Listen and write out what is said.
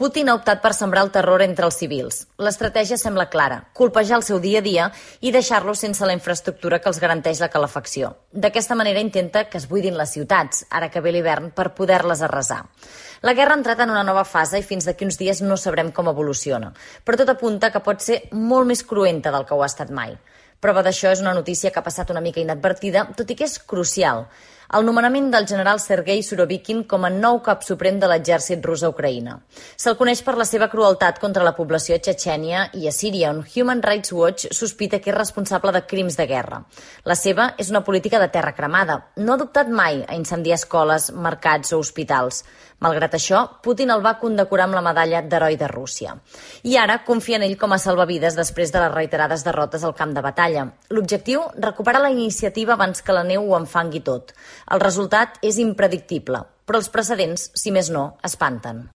Putin ha optat per sembrar el terror entre els civils. L'estratègia sembla clara, colpejar el seu dia a dia i deixar-los sense la infraestructura que els garanteix la calefacció. D'aquesta manera intenta que es buidin les ciutats, ara que ve l'hivern, per poder-les arrasar. La guerra ha entrat en una nova fase i fins d'aquí uns dies no sabrem com evoluciona, però tot apunta que pot ser molt més cruenta del que ho ha estat mai. Prova d'això és una notícia que ha passat una mica inadvertida, tot i que és crucial. El nomenament del general Sergei Surovikin com a nou cap suprem de l'exèrcit rus a Ucraïna. Se'l coneix per la seva crueltat contra la població a Txetxènia i a Síria, on Human Rights Watch sospita que és responsable de crims de guerra. La seva és una política de terra cremada. No ha dubtat mai a incendiar escoles, mercats o hospitals. Malgrat això, Putin el va condecorar amb la medalla d'heroi de Rússia. I ara confia en ell com a salvavides després de les reiterades derrotes al camp de batalla. L'objectiu, recuperar la iniciativa abans que la neu ho enfangui tot. El resultat és impredictible, però els precedents, si més no, espanten.